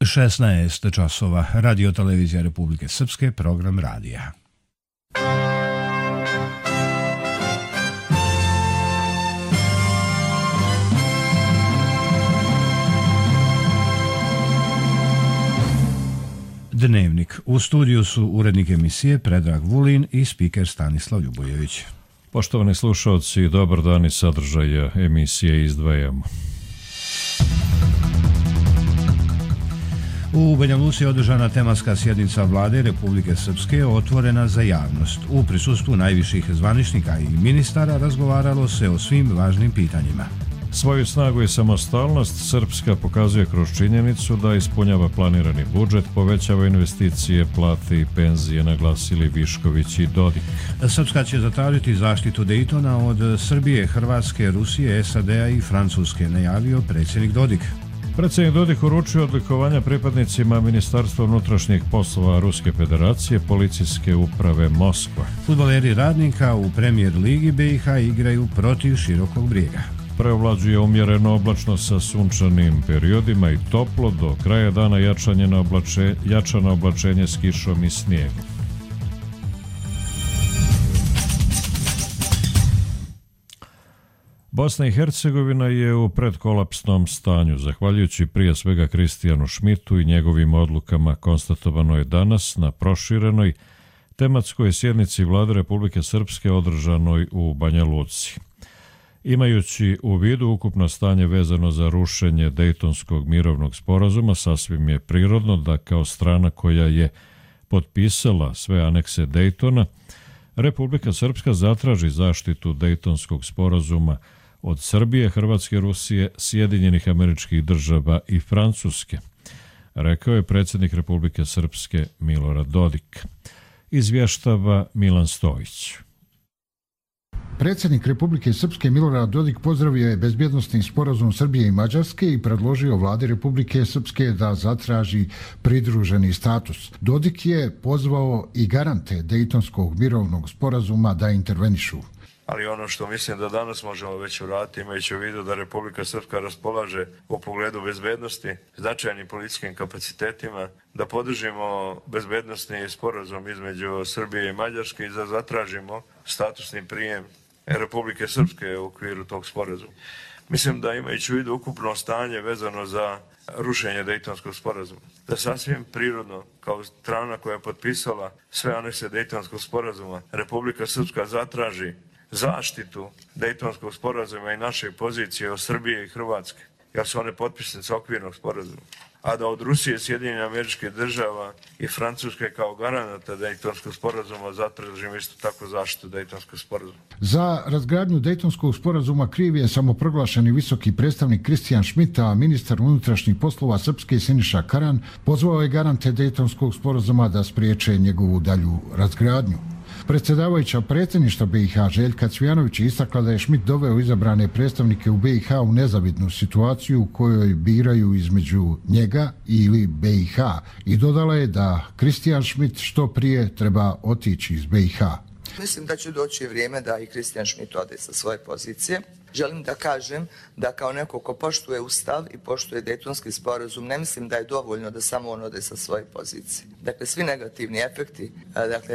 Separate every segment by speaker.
Speaker 1: 16 časova. Radio televizija Republike Srpske, program radija. Dnevnik. U studiju su urednik emisije Predrag Vulin i spiker Stanislav Ljubojević.
Speaker 2: Poštovani slušalci, dobar dan i sadržaja emisije izdvajamo.
Speaker 1: U Banja Luci je održana tematska sjednica Vlade Republike Srpske otvorena za javnost. U prisustvu najviših zvaničnika i ministara razgovaralo se o svim važnim pitanjima.
Speaker 2: Svoju snagu i samostalnost Srpska pokazuje kroz činjenicu da ispunjava planirani budžet, povećava investicije, plate i penzije, naglasili Višković i Dodik.
Speaker 1: Srpska će zatražiti zaštitu Dejtona od Srbije, Hrvatske, Rusije, SAD-a i Francuske, najavio predsjednik Dodik.
Speaker 2: Predsjednik Dodik uručio odlikovanja pripadnicima Ministarstva unutrašnjih poslova Ruske federacije, policijske uprave Moskva.
Speaker 1: Fudbaleri Radnika u Premier ligi BiH igraju protiv Širokog Brijega.
Speaker 2: Preovlađuje umjereno oblačno sa sunčanim periodima i toplo, do kraja dana jačano oblačenje s kišom i snijegom. Bosna i Hercegovina je u predkolapsnom stanju. Zahvaljujući prije svega Kristijanu Šmitu i njegovim odlukama, konstatovano je danas na proširenoj tematskoj sjednici Vlade Republike Srpske održanoj u Banja Luci. Imajući u vidu ukupno stanje vezano za rušenje Dejtonskog mirovnog sporazuma, sasvim je prirodno da kao strana koja je potpisala sve anekse Dejtona, Republika Srpska zatraži zaštitu Dejtonskog sporazuma od Srbije, Hrvatske, Rusije, Sjedinjenih Američkih Država i Francuske, rekao je predsjednik Republike Srpske Milorad Dodik. Izvještava Milan Stojić.
Speaker 3: Predsjednik Republike Srpske Milorad Dodik pozdravio je bezbjednosni sporazum Srbije i Mađarske i predložio vladi Republike Srpske da zatraži pridruženi status. Dodik je pozvao i garante Dejtonskog mirovnog sporazuma da intervenišu.
Speaker 4: Ali ono što mislim da danas možemo već uraditi, imajući u vidu da Republika Srpska raspolaže u pogledu bezbednosti značajnim policijskim kapacitetima, da podržimo bezbednosni sporazum između Srbije i Mađarske i da zatražimo statusni prijem Republike Srpske u okviru tog sporazuma. Mislim da imajući u vidu ukupno stanje vezano za rušenje Dejtonskog sporazuma, da sasvim prirodno kao strana koja je potpisala sve anekse Dejtonskog sporazuma, Republika Srpska zatraži zaštitu Dejtonskog sporazuma i naše pozicije od Srbije i Hrvatske, jer su one potpisnice okvirnog sporazuma. A da od Rusije, Sjedinjenih Američkih Država i Francuske kao garanata Dejtonskog sporazuma zatražimo isto tako zaštitu Dejtonskog sporazuma.
Speaker 3: Za razgradnju Dejtonskog sporazuma kriv je samoproglašeni visoki predstavnik Kristijan Šmit, a ministar unutrašnjih poslova Srpske Siniša Karan pozvao je garante Dejtonskog sporazuma da spriječe njegovu dalju razgradnju. Predsjedavajuća predsjedništva BiH Željka Cvijanović je istakla da je Šmit doveo izabrane predstavnike u BiH u nezavidnu situaciju u kojoj biraju između njega ili BiH i dodala je da Kristijan Šmit što prije treba otići iz BiH.
Speaker 5: Mislim da će doći vrijeme da i Kristijan Šmit ode sa svoje pozicije. Želim da kažem da kao neko ko poštuje Ustav i poštuje Dejtonski sporazum, ne mislim da je dovoljno da samo on ode sa svoje pozicije. Dakle, svi negativni efekti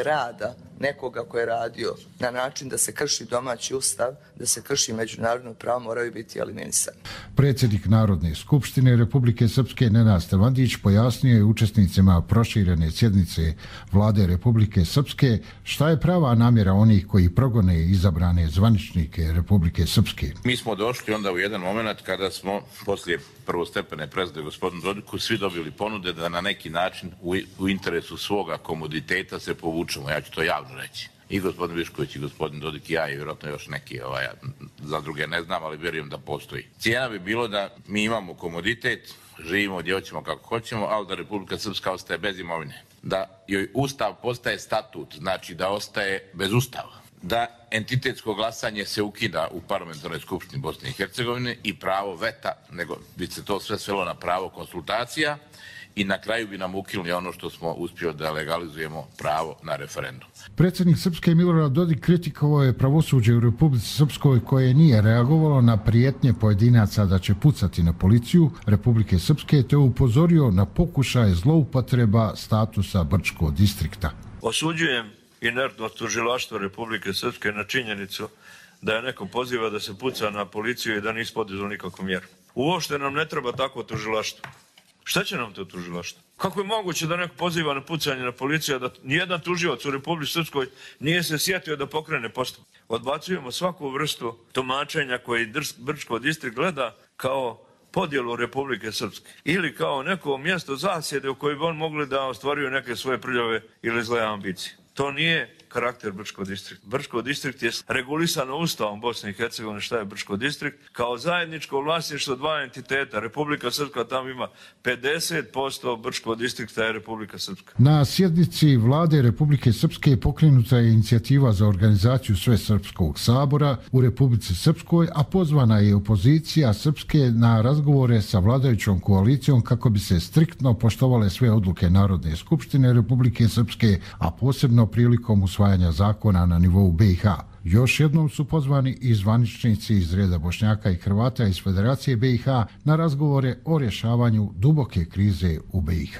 Speaker 5: rada nekoga ko je radio na način da se krši domaći Ustav, da se krši međunarodno pravo, moraju biti eliminisani.
Speaker 3: Predsjednik Narodne skupštine Republike Srpske Nenad Stevandić pojasnio je učesnicima proširene sjednice Vlade Republike Srpske šta je prava namjera onih koji progone izabrane zvaničnike Republike Srpske.
Speaker 6: Mi smo došli onda u jedan moment kada smo poslije prvostepene presude gospodinu Dodiku svi dobili ponude da na neki način u interesu svoga komoditeta se povučemo. Ja ću to javno reći. I gospodin Višković i gospodin Dodik i ja i vjerojatno još neki, za druge ne znam, ali vjerujem da postoji. Cijena bi bilo da mi imamo komoditet, živimo gdje hoćemo kako hoćemo, ali da Republika Srpska ostaje bez imovine. Da joj Ustav postaje statut, znači da ostaje bez Ustava. Da entitetsko glasanje se ukida u parlamentarnoj skupštini Bosne i Hercegovine i pravo veta, nego bi se to sve svelo na pravo konsultacija i na kraju bi nam ukinuli ono što smo uspjeli da legalizujemo pravo na referendum.
Speaker 3: Predsjednik Srpske Milorad Dodik kritikovao je pravosuđe u Republici Srpskoj koje nije reagovalo na prijetnje pojedinaca da će pucati na policiju Republike Srpske, te upozorio na pokušaje zloupotreba statusa Brčkog distrikta.
Speaker 4: Osuđujem inertnost tužilaštva Republike Srpske na činjenicu da je neko poziva da se puca na policiju i da nisu poduzeli nikakvu mjeru. Uopšte nam ne treba takvo tužilaštvo. Šta će nam to tužilaštvo? Kako je moguće da neko poziva na pucanje na policiju, da nijedan tužilac u Republici Srpskoj nije se sjetio da pokrene postupak? Odbacujemo svaku vrstu tumačenja koji Brčko distrikt gleda kao podjelu Republike Srpske ili kao neko mjesto zasjede u kojoj bi on mogli da ostvaruju neke svoje prljave ili zle ambicije. To nije karakter Brčko distrikt. Brčko distrikt je regulisano Ustavom Bosne i Hercegovine šta je Brčko distrikt kao zajedničko vlasništvo dva entiteta. Republika Srpska tamo ima 50%, Brčko distrikta je Republika Srpska.
Speaker 3: Na sjednici vlade Republike Srpske pokrenuta je inicijativa za organizaciju Svesrpskog sabora u Republici Srpskoj, a pozvana je opozicija Srpske na razgovore sa vladajućom koalicijom kako bi se striktno poštovale sve odluke Narodne skupštine Republike Srpske, a posebno prilikom usvajanja zakona na nivou BiH. Još jednom su pozvani i zvaničnici iz reda Bošnjaka i Hrvata iz Federacije BiH na razgovore o rješavanju duboke krize u BiH.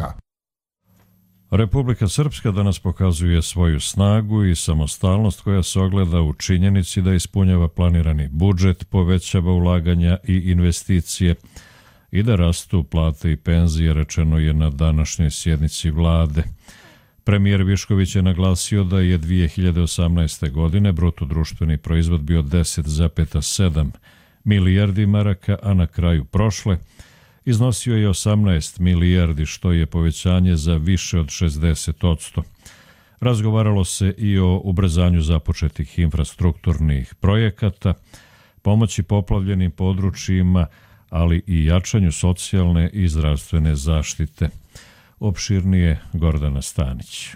Speaker 2: Republika Srpska danas pokazuje svoju snagu i samostalnost koja se ogleda u činjenici da ispunjava planirani budžet, povećava ulaganja i investicije i da rastu plate i penzije, rečeno je na današnjoj sjednici vlade. Premijer Višković je naglasio da je 2018. godine bruto društveni proizvod bio 10,7 milijardi maraka, a na kraju prošle iznosio je 18 milijardi, što je povećanje za više od 60%. Razgovaralo se i o ubrzanju započetih infrastrukturnih projekata, pomoći poplavljenim područjima, ali i jačanju socijalne i zdravstvene zaštite. Opširnije Gordana Stanić.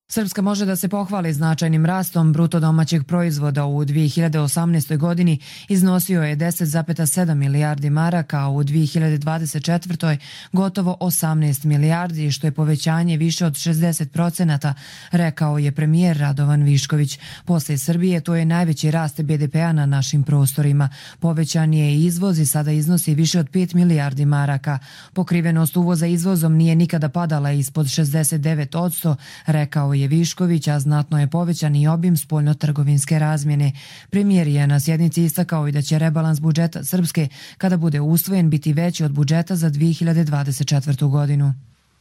Speaker 7: Srpska može da se pohvali značajnim rastom bruto domaćeg proizvoda u 2018. godini iznosio je 10,7 milijardi maraka, a u 2024. gotovo 18 milijardi, što je povećanje više od 60%, rekao je premijer Radovan Višković. Poslije Srbije to je najveći rast BDP-a na našim prostorima. Povećan je i izvoz i sada iznosi više od 5 milijardi maraka. Pokrivenost uvoza izvozom nije nikada padala ispod 69%, rekao je Višković, a znatno je povećan i obim spoljnotrgovinske razmjene. Premijer je na sjednici istakao i da će rebalans budžeta Srpske, kada bude usvojen, biti veći od budžeta za 2024. godinu.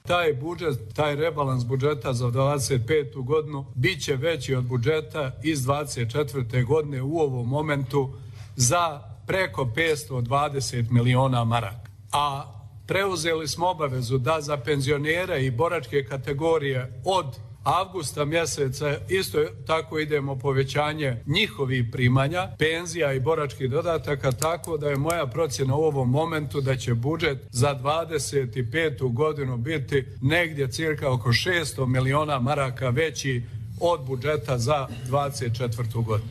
Speaker 8: Taj budžet, taj rebalans budžeta za 2025. godinu bit će veći od budžeta iz 2024. godine u ovom momentu za preko 520 miliona maraka. A preuzeli smo obavezu da za penzionere i boračke kategorije od avgusta mjeseca isto tako idemo povećanje njihovih primanja, penzija i boračkih dodataka, tako da je moja procjena u ovom momentu da će budžet za 25. godinu biti negdje cirka oko 600 miliona maraka veći od budžeta za 24. godinu.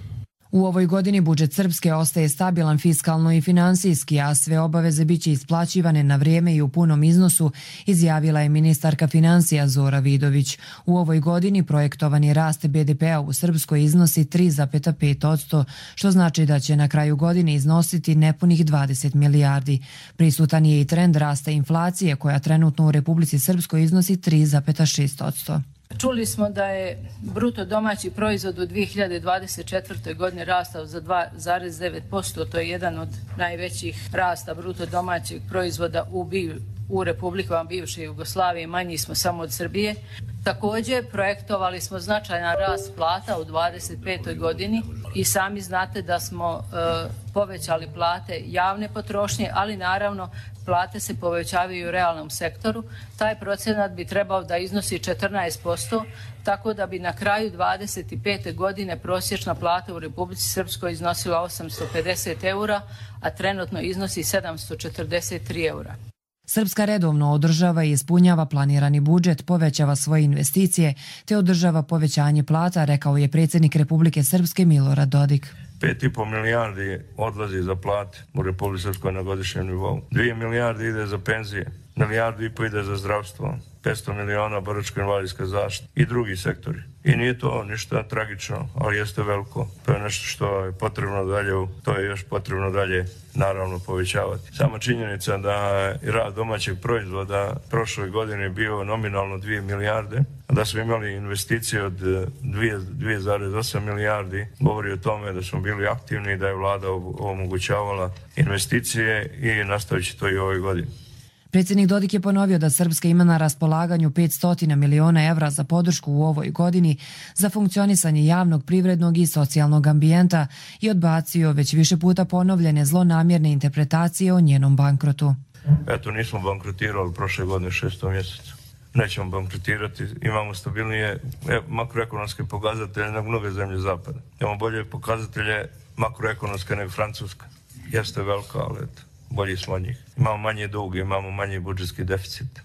Speaker 7: U ovoj godini budžet Srpske ostaje stabilan fiskalno i finansijski, a sve obaveze biće isplaćivane na vrijeme i u punom iznosu, izjavila je ministarka financija Zora Vidović. U ovoj godini projektovani rast BDP-a u Srpskoj iznosi 3,5%, što znači da će na kraju godine iznositi nepunih 20 milijardi. Prisutan je i trend rasta inflacije, koja trenutno u Republici Srpskoj iznosi 3,6%.
Speaker 9: Čuli smo da je bruto domaći proizvod u 2024. godini rastao za 2,9%, to je jedan od najvećih rasta bruto domaćeg proizvoda u republikama bivše Jugoslavije, manji smo samo od Srbije. Također projektovali smo značajan rast plata u 2025. godini i sami znate da smo povećali plate javne potrošnje, ali naravno plate se povećavaju u realnom sektoru. Taj procenat bi trebao da iznosi 14%, tako da bi na kraju 2025. godine prosječna plata u Republici Srpskoj iznosila 850 eura, a trenutno iznosi 743 eura.
Speaker 7: Srpska redovno održava i ispunjava planirani budžet, povećava svoje investicije te održava povećanje plata, rekao je predsjednik Republike Srpske Milorad Dodik.
Speaker 4: 5,5 milijardi odlazi za plate u Republici Srpskoj na godišnjem nivou. 2 milijarde ide za penzije, 1,5 milijardu ide za zdravstvo, 500 miliona boračko-invalidska zaštita i drugi sektori. I nije to ništa tragično, ali jeste veliko. To je nešto što je potrebno dalje, to je još potrebno dalje naravno povećavati. Sama činjenica da je rad domaćeg proizvoda prošle godine bio nominalno 2 milijarde, da smo imali investicije od 2,8 milijardi, govori o tome da smo bili aktivni, da je vlada omogućavala investicije i nastavit će to i ove godine.
Speaker 7: Predsjednik Dodik je ponovio da Srpska ima na raspolaganju 500 miliona evra za podršku u ovoj godini za funkcionisanje javnog, privrednog i socijalnog ambijenta i odbacio već više puta ponovljene zlonamjerne interpretacije o njenom bankrotu.
Speaker 4: Eto, nismo bankrotirali prošle godine 6. mjesecu. Nećemo bankrotirati, imamo stabilnije makroekonomske pokazatelje nego mnoge zemlje zapada. Imamo bolje pokazatelje makroekonomske nego Francuska. Jeste velika, ali eto, bolji smo od njih. Imamo manje dug, imamo manji budžetski deficit.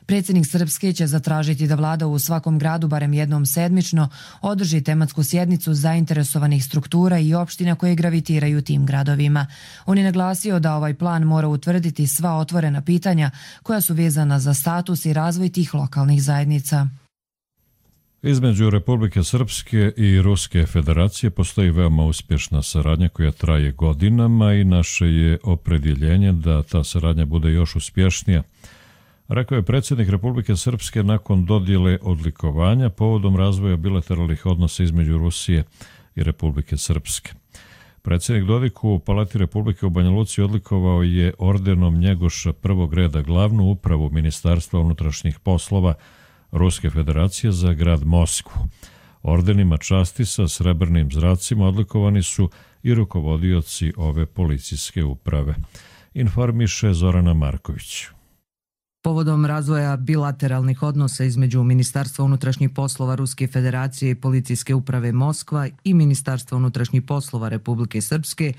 Speaker 7: Predsjednik Srpske će zatražiti da vlada u svakom gradu barem jednom sedmično održi tematsku sjednicu zainteresovanih struktura i opština koje gravitiraju tim gradovima. On je naglasio da ovaj plan mora utvrditi sva otvorena pitanja koja su vezana za status i razvoj tih lokalnih zajednica.
Speaker 2: Između Republike Srpske i Ruske federacije postoji veoma uspješna saradnja koja traje godinama i naše je opredjeljenje da ta saradnja bude još uspješnija, rekao je predsjednik Republike Srpske nakon dodjele odlikovanja povodom razvoja bilateralnih odnosa između Rusije i Republike Srpske. Predsjednik Dodik u Palati Republike u Banja Luci odlikovao je ordenom Njegoša prvog reda glavnu upravu Ministarstva unutrašnjih poslova Ruske federacije za grad Moskvu. Ordenima časti sa srebrnim zracima odlikovani su i rukovodioci ove policijske uprave, informiše Zorana Marković.
Speaker 10: Povodom razvoja bilateralnih odnosa između Ministarstva unutrašnjih poslova Ruske federacije i policijske uprave Moskva i Ministarstva unutrašnjih poslova Republike Srpske,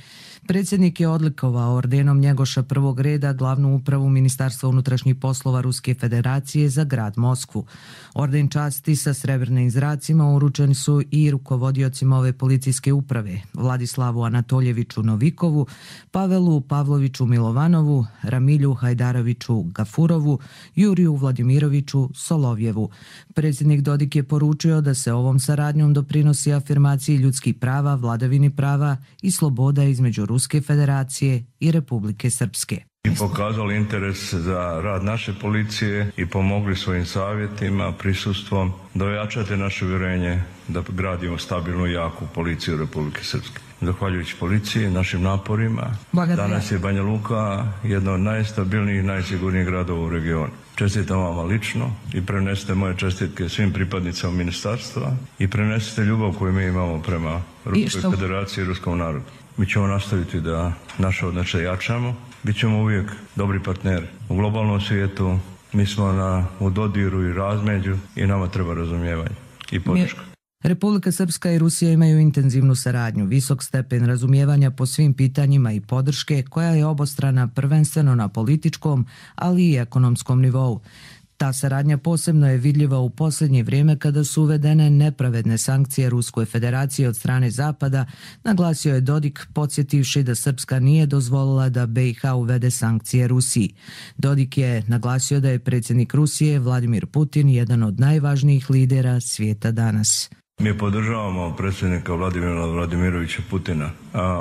Speaker 10: predsjednik je odlikovao ordenom Njegoša prvog reda glavnu upravu Ministarstva unutrašnjih poslova Ruske federacije za grad Moskvu. Orden časti sa srebrnim zracima uručeni su i rukovodiocima ove policijske uprave, Vladislavu Anatoljeviću Novikovu, Pavelu Pavloviću Milovanovu, Ramilju Hajdaroviću Gafurovu, Juriju Vladimiroviću Solovjevu. Predsjednik Dodik je poručio da se ovom saradnjom doprinosi afirmaciji ljudskih prava, vladavini prava i sloboda između Ruske federacije i Republike Srpske.
Speaker 11: I pokazali interes za rad naše policije i pomogli svojim savjetima, prisustvom da ojačate naše uvjerenje da gradimo stabilnu i jaku policiju Republike Srpske. Zahvaljujući policiji, našim naporima, danas je Banja Luka jedna od najstabilnijih i najsigurnijih gradova u regionu. Čestitam vama lično i prenesite moje čestitke svim pripadnicama ministarstva i prenesite ljubav koju mi imamo prema Ruskoj federaciji i ruskom narodu. Mi ćemo nastaviti da naše odnose jačamo, bit ćemo uvijek dobri partneri. U globalnom svijetu mi smo u dodiru i razmeđu i nama treba razumijevanje i podrška.
Speaker 10: Republika Srpska i Rusija imaju intenzivnu saradnju, visok stepen razumijevanja po svim pitanjima i podrške koja je obostrana prvenstveno na političkom, ali i ekonomskom nivou. Ta saradnja posebno je vidljiva u posljednje vrijeme kada su uvedene nepravedne sankcije Ruskoj federaciji od strane Zapada, naglasio je Dodik podsjetivši da Srpska nije dozvolila da BiH uvede sankcije Rusiji. Dodik je naglasio da je predsjednik Rusije Vladimir Putin jedan od najvažnijih lidera svijeta danas.
Speaker 11: Mi podržavamo predsjednika Vladimira Vladimirovića Putina.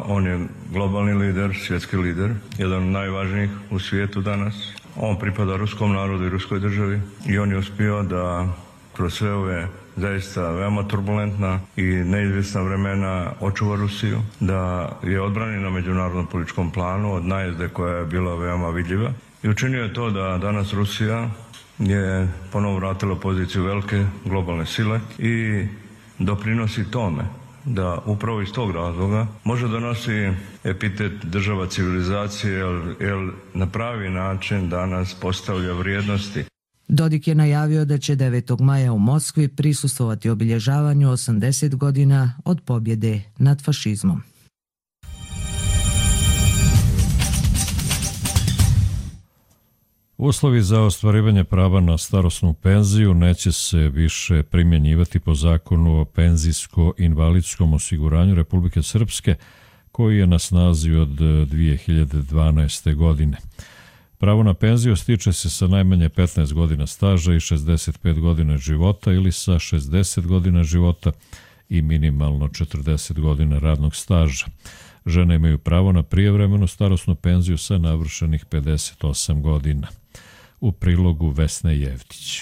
Speaker 11: On je globalni lider, svjetski lider, jedan od najvažnijih u svijetu danas. On pripada ruskom narodu i ruskoj državi i on je uspio da kroz sve ove zaista veoma turbulentna i neizvjesna vremena očuva Rusiju, da je odbrani na međunarodnom političkom planu od najezde koja je bila veoma vidljiva. I učinio je to da danas Rusija je ponovo vratila poziciju velike globalne sile i doprinosi tome da upravo iz tog razloga može donosi epitet država civilizacije jer na pravi način danas postavlja vrijednosti.
Speaker 10: Dodik je najavio da će 9. maja u Moskvi prisustvovati obilježavanju 80 godina od pobjede nad fašizmom.
Speaker 2: Uslovi za ostvarivanje prava na starosnu penziju neće se više primjenjivati po zakonu o penzijsko-invalidskom osiguranju Republike Srpske, koji je na snazi od 2012. godine. Pravo na penziju stiče se sa najmanje 15 godina staža i 65 godina života ili sa 60 godina života i minimalno 40 godina radnog staža. Žene imaju pravo na prijevremenu starosnu penziju sa navršenih 58 godina. U prilogu Vesne Jevtić.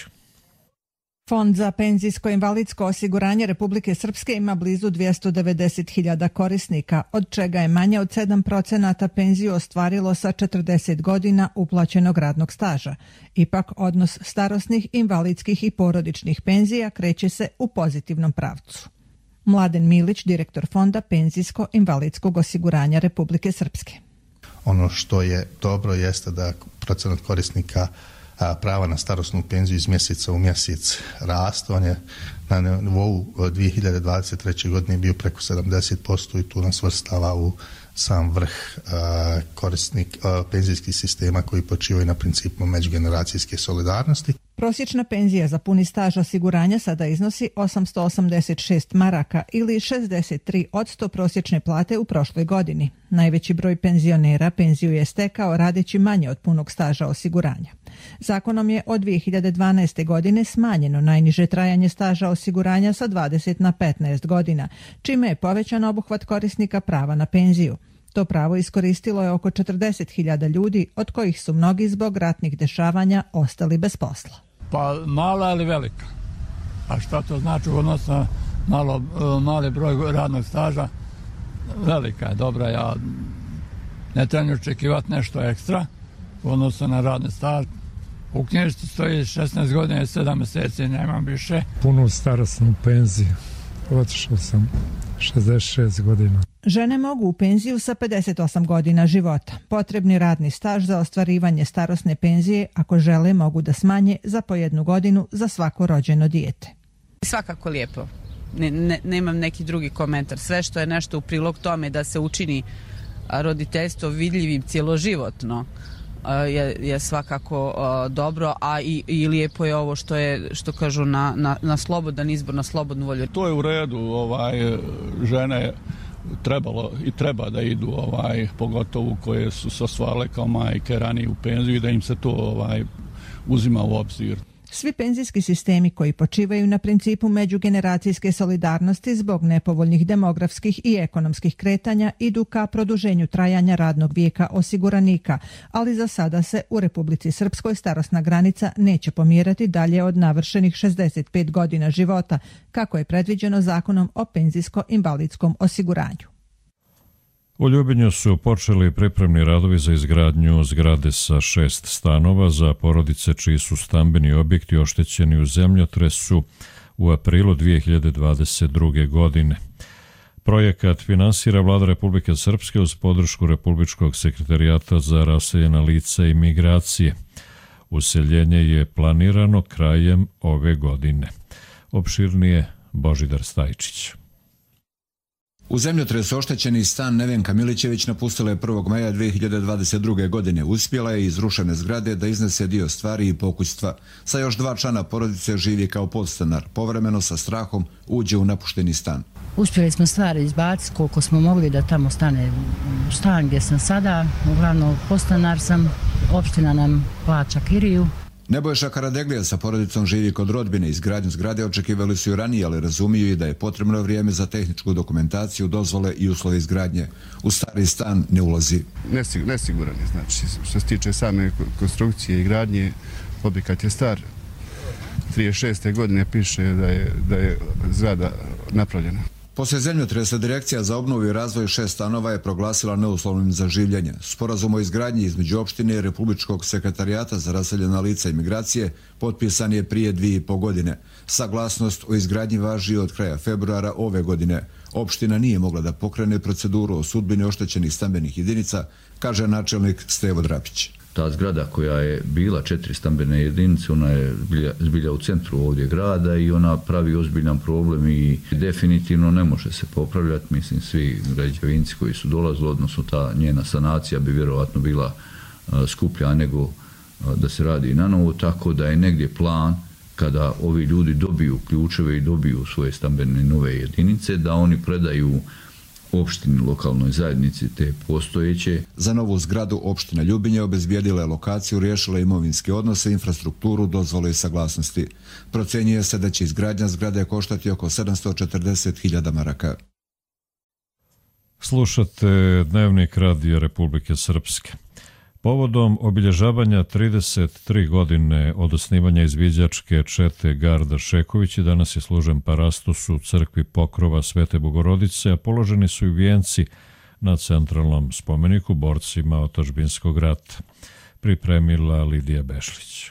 Speaker 12: Fond za penzijsko-invalidsko osiguranje Republike Srpske ima blizu 290.000 korisnika, od čega je manje od 7% penziju ostvarilo sa 40 godina uplaćenog radnog staža. Ipak, odnos starosnih, invalidskih i porodičnih penzija kreće se u pozitivnom pravcu. Mladen Milić, direktor Fonda penzijsko-invalidskog osiguranja Republike Srpske.
Speaker 13: Ono što je dobro jeste da procenat korisnika prava na starosnu penziju iz mjeseca u mjesec raste. On je na nivou 2023. godine bio preko 70% i tu nas vrstava u sam vrh penzijskih sistema koji počivaju na principu međugeneracijske solidarnosti.
Speaker 12: Prosječna penzija za puni staž osiguranja sada iznosi 886 maraka ili 63% prosječne plate u prošloj godini. Najveći broj penzionera penziju je stekao radeći manje od punog staža osiguranja. Zakonom je od 2012. godine smanjeno najniže trajanje staža osiguranja sa 20 na 15 godina, čime je povećan obuhvat korisnika prava na penziju. To pravo iskoristilo je oko 40.000 ljudi, od kojih su mnogi zbog ratnih dešavanja ostali bez posla.
Speaker 8: Pa mala ili velika? A šta to znači u odnosu na mali broj radnog staža? Velika je, dobra. Ja ne trebam očekivati nešto ekstra u odnosu na radni staž. U knjižici stoji 16 godina i 7 mjeseci, nemam više.
Speaker 14: Punu starosnu penziju. Otišao sam 66 godina.
Speaker 12: Žene mogu u penziju sa 58 godina života. Potrebni radni staž za ostvarivanje starosne penzije, ako žele, mogu da smanje za po 1 godinu za svako rođeno dijete.
Speaker 15: Svakako lijepo. Nemam neki drugi komentar. Sve što je nešto u prilog tome da se učini roditeljstvo vidljivim cjeloživotno je svakako dobro, a i lijepo je ovo što kažu na slobodan izbor, na slobodnu volju.
Speaker 8: To je u redu, žene trebalo i treba da idu, pogotovo koje su se ostvarile kao majke ranije u penziju i da im se to uzima u obzir.
Speaker 12: Svi penzijski sistemi koji počivaju na principu međugeneracijske solidarnosti zbog nepovoljnih demografskih i ekonomskih kretanja idu ka produženju trajanja radnog vijeka osiguranika, ali za sada se u Republici Srpskoj starosna granica neće pomjerati dalje od navršenih 65 godina života, kako je predviđeno Zakonom o penzijsko-invalidskom osiguranju.
Speaker 2: U Ljubinju su počeli pripremni radovi za izgradnju zgrade sa 6 stanova za porodice čiji su stambeni objekti oštećeni u zemljotresu u aprilu 2022. godine. Projekat finansira Vlada Republike Srpske uz podršku Republičkog sekretarijata za raseljena lica i migracije. Useljenje je planirano krajem ove godine. Opširnije Božidar Stajčić.
Speaker 16: U zemljotresu oštećeni stan Nevenka Milićević napustila je 1. maja 2022. godine. Uspjela je iz rušene zgrade da iznese dio stvari i pokućstva. Sa još 2 člana porodice živi kao podstanar. Povremeno sa strahom uđe u napušteni stan.
Speaker 17: Uspjeli smo stvari izbaciti koliko smo mogli da tamo stane stan gdje sam sada. Uglavnom podstanar sam, opština nam plaća kiriju.
Speaker 16: Nebojša Karadeglija sa porodicom živi kod rodbine. Izgradnju zgrade očekivali su i ranije, ali razumiju i da je potrebno vrijeme za tehničku dokumentaciju, dozvole i uslove izgradnje. U stari stan ne ulazi.
Speaker 18: Nesiguran je, znači, što se tiče same konstrukcije i gradnje, objekat je star. 36. godine piše da je zgrada napravljena.
Speaker 16: Poslije zemljotresa Direkcija za obnovu i razvoj 6 stanova je proglasila neuslovnim za življenje. Sporazum o izgradnji između opštine i Republičkog sekretarijata za raseljena lica i migracije potpisan je prije 2,5 godine. Saglasnost o izgradnji važi od kraja februara ove godine. Opština nije mogla da pokrene proceduru o sudbini oštećenih stambenih jedinica, kaže načelnik Stevo Drapić.
Speaker 19: Ta zgrada koja je bila 4 stambene jedinice, ona je zbilja u centru ovdje grada i ona pravi ozbiljan problem i definitivno ne može se popravljati. Mislim, svi građevinci koji su dolazili, odnosno ta njena sanacija bi vjerovatno bila skuplja nego da se radi na novo, tako da je negdje plan kada ovi ljudi dobiju ključeve i dobiju svoje stambene nove jedinice, da oni predaju opštini, lokalnoj zajednici te postojeće.
Speaker 16: Za novu zgradu opština Ljubinje obezbijedila je lokaciju, riješila imovinske odnose, infrastrukturu, dozvole i saglasnosti. Procjenjuje se da će izgradnja zgrade koštati oko 740.000 maraka.
Speaker 2: Slušate Dnevnik Radija Republike Srpske. Povodom obilježavanja 33 godine od osnivanja izviđačke čete Garda Šeković danas je služen parastos u crkvi Pokrova Svete Bogorodice, a položeni su i vijenci na centralnom spomeniku borcima otadžbinskog rata. Pripremila Lidija Bešlić.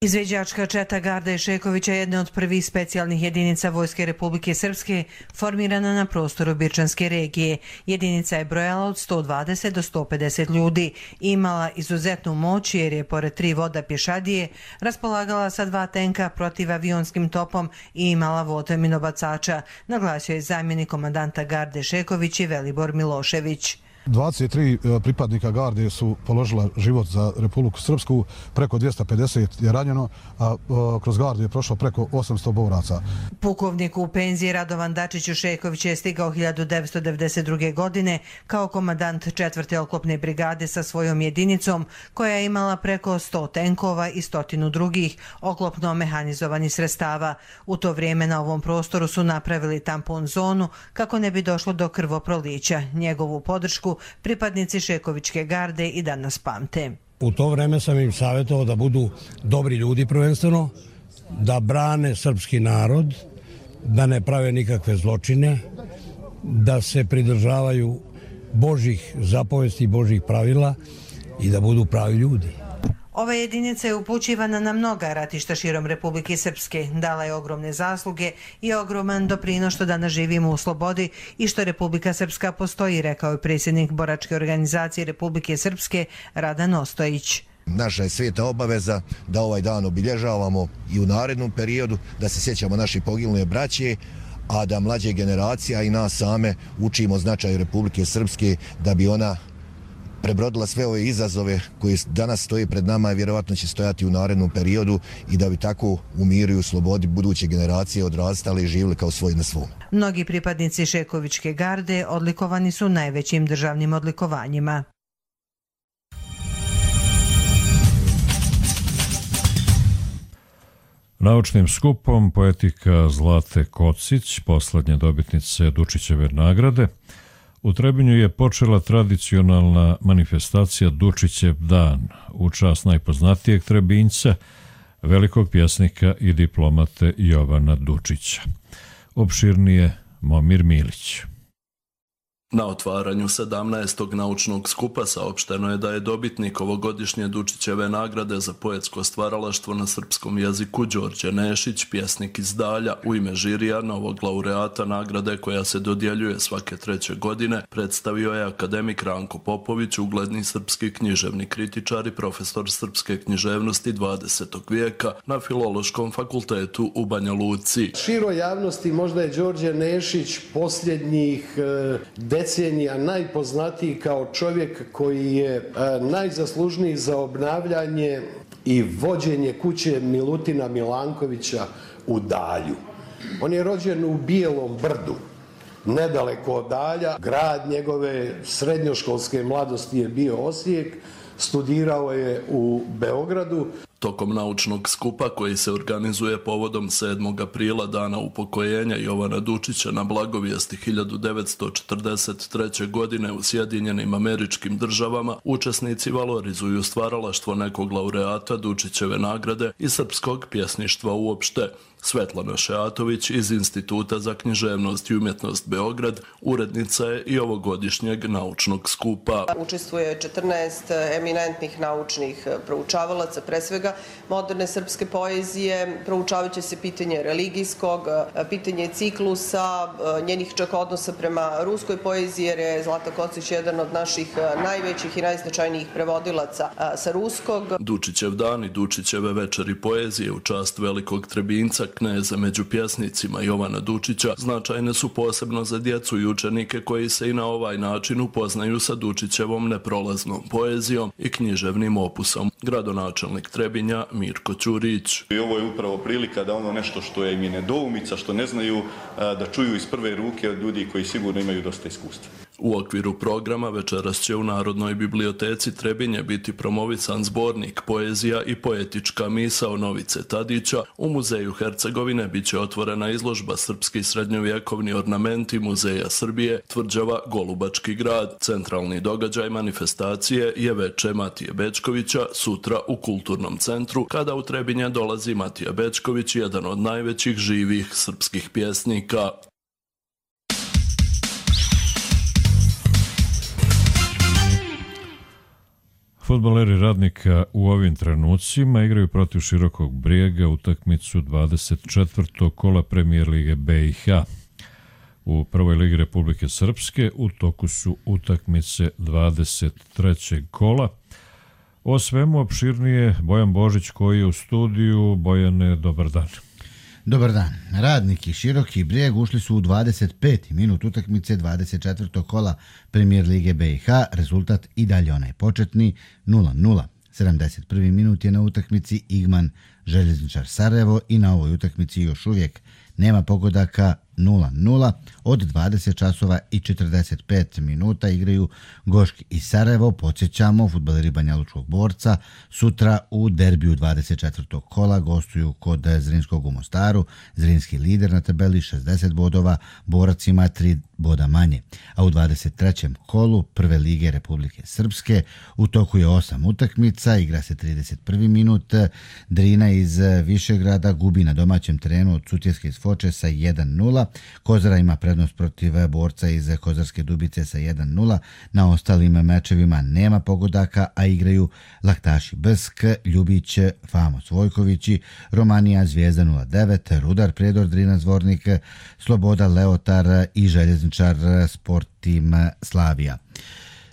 Speaker 20: Izviđačka četa Garde Šekovića je jedna od prvih specijalnih jedinica Vojske Republike Srpske formirana na prostoru Birčanske regije. Jedinica je brojala od 120 do 150 ljudi i imala izuzetnu moć jer je pored 3 voda pješadije raspolagala sa 2 tenka protivavionskim topom i imala vode minobacača, naglasio je zamjenik komandanta Garde Šeković i Velibor Milošević.
Speaker 21: 23 pripadnika garde su položila život za Republiku Srpsku, preko 250 je ranjeno, a kroz gardu je prošlo preko 800 boraca.
Speaker 20: Pukovnik u penziji Radovan Dačić Šeković je stigao 1992. godine kao komandant 4. oklopne brigade sa svojom jedinicom koja je imala preko 100 tenkova i 100 drugih oklopno mehanizovanih sredstava. U to vrijeme na ovom prostoru su napravili tampon zonu kako ne bi došlo do krvoprolića. Njegovu podršku pripadnici Šekovićke garde i danas pamte.
Speaker 22: U to vreme sam im savjetovao da budu dobri ljudi prvenstveno, da brane srpski narod, da ne prave nikakve zločine, da se pridržavaju Božjih zapovesti i Božjih pravila i da budu pravi ljudi.
Speaker 20: Ova jedinica je upućivana na mnoga ratišta širom Republike Srpske, dala je ogromne zasluge i ogroman doprinos što danas živimo u slobodi i što Republika Srpska postoji, rekao je predsjednik boračke organizacije Republike Srpske Radan Ostojić.
Speaker 23: Naša je sveta obaveza da ovaj dan obilježavamo i u narednom periodu, da se sjećamo naših poginule braće, a da mlađe generacija i nas same učimo značaju Republike Srpske da bi ona prebrodila sve ove izazove koji danas stoje pred nama i vjerovatno će stojati u narednom periodu i da bi tako u miru i u slobodi buduće generacije odrastali i živjeli kao svoj na svom.
Speaker 20: Mnogi pripadnici Šekovićke garde odlikovani su najvećim državnim odlikovanjima.
Speaker 2: Naučnim skupom poetika Zlate Kocić, poslednje dobitnice Dučićeve nagrade, u Trebinju je počela tradicionalna manifestacija Dučićev dan u čast najpoznatijeg Trebinjca, velikog pjesnika i diplomate Jovana Dučića. Opširnije Momir Milić.
Speaker 24: Na otvaranju 17. naučnog skupa saopšteno je da je dobitnik ovogodišnje Dučićeve nagrade za poetsko stvaralaštvo na srpskom jeziku Đorđe Nešić, pjesnik iz Dalja, u ime žirija novog laureata nagrade koja se dodjeljuje svake 3. godine, predstavio je akademik Ranko Popović, ugledni srpski književni kritičar i profesor srpske književnosti 20. vijeka na Filološkom fakultetu u Banja Luci.
Speaker 25: Široj javnosti možda je Đorđe Nešić posljednjih decenija najpoznatiji kao čovjek koji je najzaslužniji za obnavljanje i vođenje kuće Milutina Milankovića u Dalju. On je rođen u Bijelom Brdu, nedaleko od Dalja. Grad njegove srednjoškolske mladosti je bio Osijek, studirao je u Beogradu.
Speaker 24: Tokom naučnog skupa koji se organizuje povodom 7. aprila, dana upokojenja Jovana Dučića na blagovijesti 1943. godine u Sjedinjenim Američkim Državama, učesnici valorizuju stvaralaštvo nekog laureata Dučićeve nagrade i srpskog pjesništva uopšte. Svetlana Šeatović iz Instituta za književnost i umjetnost Beograd urednica je i ovogodišnjeg naučnog skupa.
Speaker 26: Učestvuje 14 eminentnih naučnih proučavalaca, pre svega moderne srpske poezije. Proučavat će se pitanje religijskog, pitanje ciklusa, njenih čak odnosa prema ruskoj poeziji, jer je Zlata Kocić jedan od naših najvećih i najznačajnijih prevodilaca sa ruskog.
Speaker 24: Dučićev dan i Dučićeve večeri poezije u čast velikog Trebinca Kneze među pjesnicima Jovana Dučića značajne su posebno za djecu i učenike koji se i na ovaj način upoznaju sa Dučićevom neprolaznom poezijom i književnim opusom. Gradonačelnik Trebinja Mirko Ćurić.
Speaker 1: I ovo je upravo prilika da ono nešto što je im je nedoumica, što ne znaju, da čuju iz prve ruke od ljudi koji sigurno imaju dosta iskustva.
Speaker 24: U okviru programa večeras će u Narodnoj biblioteci Trebinje biti promovisan zbornik Poezija i poetička misao Novice Tadića. U Muzeju Hercegovine bit će otvorena izložba Srpski srednjovjekovni ornamenti Muzeja Srbije, tvrđava Golubački grad. Centralni događaj manifestacije je veče Matije Bečkovića sutra u Kulturnom centru, kada u Trebinje dolazi Matija Bečković, jedan od najvećih živih srpskih pjesnika.
Speaker 2: Fudbaleri Radnika u ovim trenucima igraju protiv Širokog Brijega utakmicu 24. kola Premijer lige BiH. U prvoj ligi Republike Srpske u toku su utakmice 23. kola. O svemu opširnije Bojan Božić koji je u studiju. Bojane, dobar dan.
Speaker 3: Dobar dan. Radnik i Široki Brijeg ušli su u 25. minut utakmice 24. kola Premijer lige BiH. Rezultat i dalje onaj početni 0-0. 71. minut je na utakmici Igman Željezničar Sarajevo i na ovoj utakmici još uvijek nema pogodaka 0-0. Od 20 časova i 45 minuta igraju Goški i Sarajevo. Podsjećamo, fudbaleri Banjalučkog Borca sutra u derbiju 24. kola gostuju kod Zrinskog u Mostaru. Zrinski lider na tabeli 60 bodova, Borac ima 3 boda manje. A u 23. kolu Prve lige Republike Srpske u toku je 8 utakmica, igra se 31. minut. Drina iz Višegrada gubi na domaćem terenu od Sutjeske iz Foče sa 1-0. Kozara ima prednost protiv Borca iz Kozarske Dubice sa 1-0. Na ostalim mečevima nema pogodaka, a igraju Laktaši Brsk, Ljubić, Famos Vojkovići, Romanija Zvijezda 09, Rudar Prijedor Drina Zvornik, Sloboda Leotar i Željezničar Sport Tim Slavija.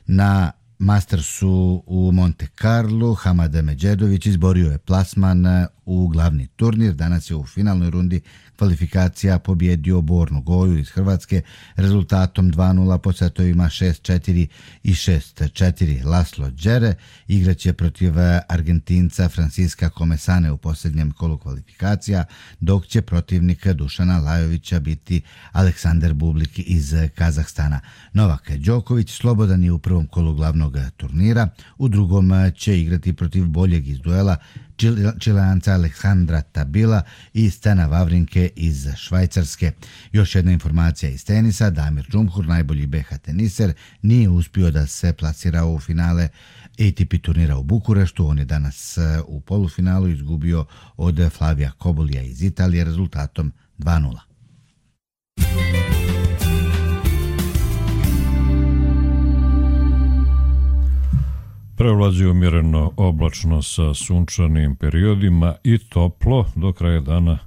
Speaker 3: Na Mastersu u Monte Carlo Hamad Međedović izborio je plasman u glavni turnir. Danas je u finalnoj rundi kvalifikacija pobjedio Bornu Goju iz Hrvatske rezultatom 2-0 po setovima 6-4 i 6-4. Laslo Đere igraće protiv Argentinca Franciska Komesane u posljednjem kolu kvalifikacija, dok će protivnik Dušana Lajovića biti Aleksandar Bublik iz Kazahstana. Novak Đoković slobodan je u prvom kolu glavnog turnira, u drugom će igrati protiv boljeg iz duela Čileanca Aleksandra Tabila i Stena Vavrinke iz Švajcarske. Još jedna informacija iz tenisa, Damir Džumhur, najbolji BH teniser, nije uspio da se plasira u finale ATP turnira u Bukureštu. On je danas u polufinalu izgubio od Flavija Kobolija iz Italije rezultatom 2-0.
Speaker 2: Prevlađuje umjereno oblačno sa sunčanim periodima i toplo, do kraja dana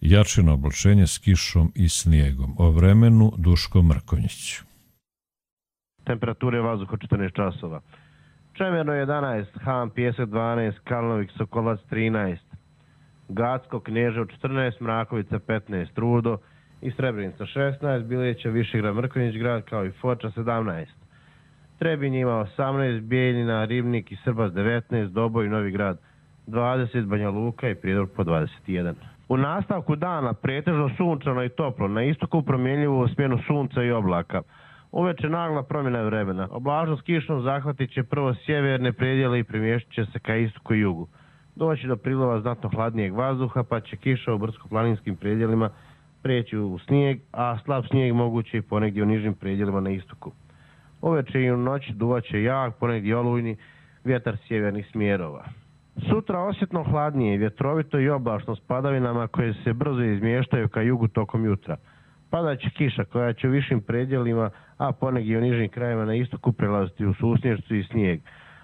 Speaker 2: jačino oblačenje s kišom i snijegom. O vremenu Duško Mrkonjić.
Speaker 4: Temperature vazduha 14 časova. Čemerno 11, Han Pjesak 12, Kalnovik Sokolac 13, Gacko Knježevo 14, Mrakovica 15, Rudo i Srebrenica 16, Bileća, Višegrad, Mrkonjić grad kao i Foča 17. Trebinje ima 18, Bijeljina, Ribnik i Srbac 19, Doboj, Novi Grad 20, Banja Luka i Prijedor po 21. U nastavku dana pretežno sunčano i toplo, na istoku promjenljivu smjenu sunca i oblaka. Uveče nagla promjena vremena. Oblažnost kišnom zahvatit će prvo sjeverne predjele i premještit će se ka istoku i jugu. Doći do prilova znatno hladnijeg vazduha, pa će kiša u brdsko-planinskim predjelima prijeći u snijeg, a slab snijeg moguće i ponegdje u nižim predjelima na istoku. Uveče i u noći duvaće jak, ponegdje olujni vjetar sjevernih smjerova. Sutra osjetno hladnije, vjetrovito i oblačno s padavinama koje se brzo izmještaju ka jugu tokom jutra. Padaće kiša koja će u višim predjelima, a ponegdje u nižim krajevima na istoku prelaziti u susnješću i snijeg.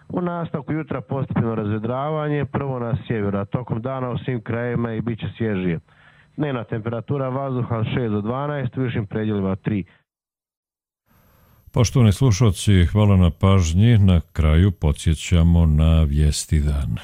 Speaker 4: U nastavku jutra postepeno razvedravanje, prvo na sjeveru, a tokom dana u svim krajevima i bit će svježije. Dnevna temperatura vazduha 6 do 12, u višim predjelima 3.
Speaker 2: Poštovani slušalci, hvala na pažnji. Na kraju podsjećamo na vijesti dana.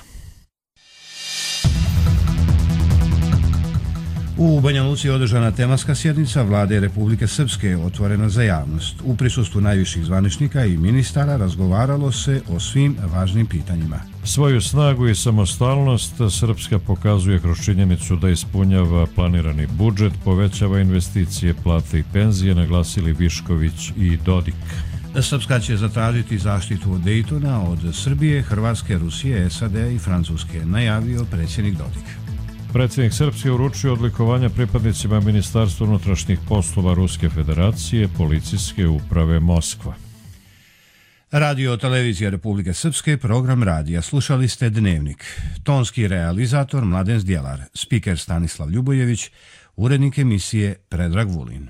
Speaker 5: U Banja Luci je održana tematska sjednica Vlade Republike Srpske otvorena za javnost. U prisustvu najviših zvaničnika i ministara razgovaralo se o svim važnim pitanjima.
Speaker 2: Svoju snagu i samostalnost Srpska pokazuje kroz činjenicu da ispunjava planirani budžet, povećava investicije, plate i penzije, naglasili Višković i Dodik.
Speaker 5: Srpska će zatražiti zaštitu od Dejtona od Srbije, Hrvatske, Rusije, SAD i Francuske, najavio predsjednik Dodik.
Speaker 2: Predsjednik Srpske uručio odlikovanja pripadnicima Ministarstva unutrašnjih poslova Ruske federacije, policijske uprave Moskva.
Speaker 5: Radio televizija Republike Srpske, program radija. Slušali ste Dnevnik. Tonski realizator Mladen Zdjelar, spiker Stanislav Ljubojević, urednik emisije Predrag Vulin.